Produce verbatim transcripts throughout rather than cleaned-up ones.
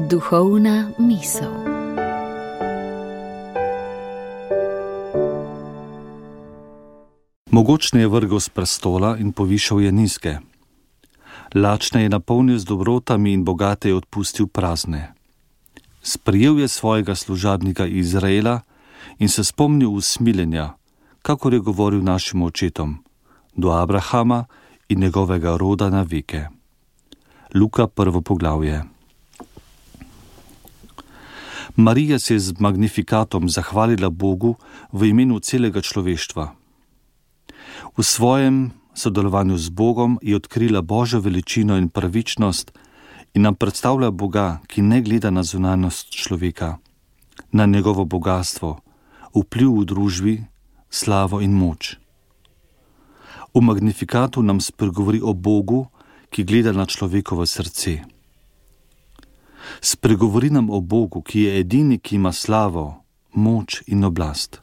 Duhovna misel. Mogočne je vrgel s prestola in povišal je nizke. Lačne je napolnil z dobrotami in bogate je odpustil prazne. Sprijel je svojega služabnika Izraela in se spomnil usmiljenja, kakor je govoril našim očetom, do Abrahama in njegovega roda na veke. Luka prvo poglavje. Marija se je z magnifikatom zahvalila Bogu v imenu celega človeštva. V svojem sodelovanju z Bogom je odkrila Božjo veličino in pravičnost in nam predstavlja Boga, ki ne gleda na zunanjost človeka, na njegovo bogatstvo, vpliv v družbi, slavo in moč. V magnifikatu nam spregovori o Bogu, ki gleda na človekovo srce. Spregovori nam o Bogu, ki je edini, ki ima slavo, moč in oblast.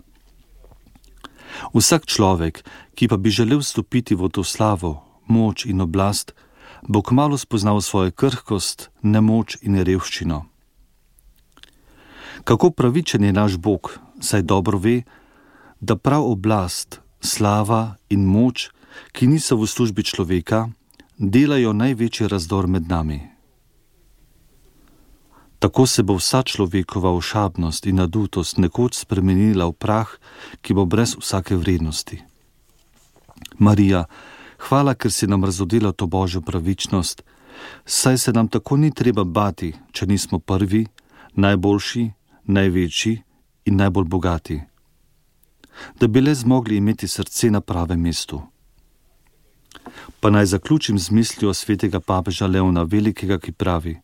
Vsak človek, ki pa bi želel vstopiti v to slavo, moč in oblast, bo kmalu spoznal svojo krhkost, nemoč in revščino. Kako pravičen je naš Bog, saj dobro ve, da prav oblast, slava in moč, ki niso v službi človeka, delajo največji razdor med nami. Tako se bo vsa človekova ošabnost in nadutost nekoč spremenila v prah, ki bo brez vsake vrednosti. Marija, hvala, ker si nam razodela to Božjo pravičnost, saj se nam tako ni treba bati, če nismo prvi, najboljši, največji in najbolj bogati. Da bi le zmogli imeti srce na pravem mestu. Pa naj zaključim z mislijo svetega papeža Leona Velikega, ki pravi: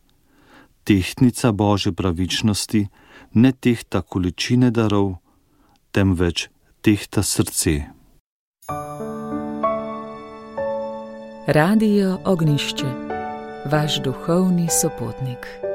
tehtnica Božje pravičnosti ne tehta količine darov, temveč tehta srce. Radio Ognjišče, vaš duhovni sopotnik.